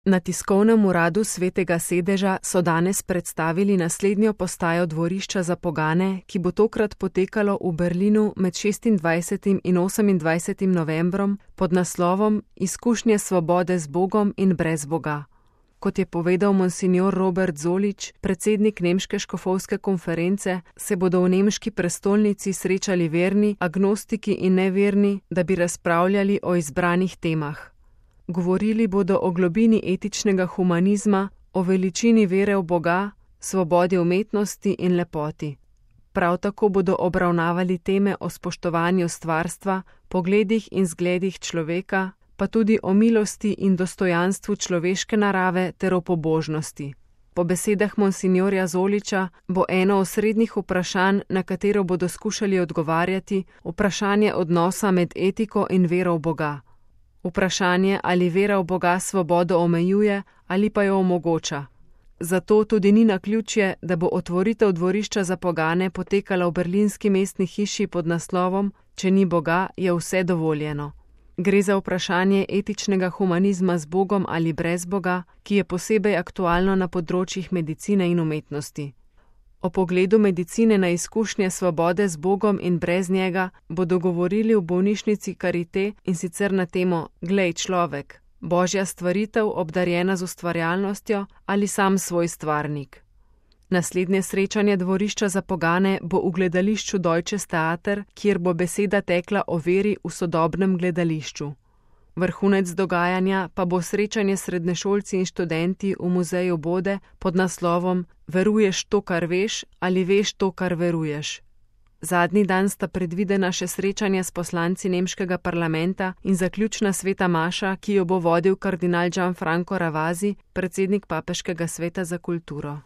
Na tiskovnem uradu Svetega sedeža so danes predstavili naslednjo postajo dvorišča za pogane, ki bo tokrat potekalo v Berlinu med 26. in 28. novembrom pod naslovom Izkušnje svobode z Bogom in brez Boga. Kot je povedal monsignor Robert Zolič, predsednik Nemške škofovske konference, se bodo v nemški prestolnici srečali verni, agnostiki in neverni, da bi razpravljali o izbranih temah. Govorili bodo o globini etičnega humanizma, o veličini vere v Boga, svobodi umetnosti in lepoti. Prav tako bodo obravnavali teme o spoštovanju stvarstva, pogledih in zgledih človeka, pa tudi o milosti in dostojanstvu človeške narave ter o pobožnosti. Po besedah monsinjorja Zoliča bo eno osrednjih vprašanj, na katero bodo skušali odgovarjati, vprašanje odnosa med etiko in vero v Boga. Vprašanje, ali vera v Boga svobodo omejuje ali pa jo omogoča. Zato tudi ni naključje, da bo otvoritev dvorišča za pogane potekala v berlinski mestni hiši pod naslovom Če ni Boga, je vse dovoljeno. Gre za vprašanje etičnega humanizma z Bogom ali brez Boga, ki je posebej aktualno na področjih medicine in umetnosti. O pogledu medicine na izkušnje svobode z Bogom in brez njega bodo govorili v bolnišnici Charité, in sicer na temo Glej človek, Božja stvaritev obdarjena z ustvarjalnostjo ali sam svoj stvarnik. Naslednje srečanje dvorišča za pogane bo v gledališču Deutsches Theater, kjer bo beseda tekla o veri v sodobnem gledališču. Vrhunec dogajanja pa bo srečanje s srednješolci in študenti v muzeju Bode pod naslovom Veruješ to, kar veš, ali veš to, kar veruješ. Zadnji dan sta predvidena še srečanja s poslanci nemškega parlamenta in zaključna sveta maša, ki jo bo vodil kardinal Gianfranco Ravasi, predsednik Papeškega sveta za kulturo.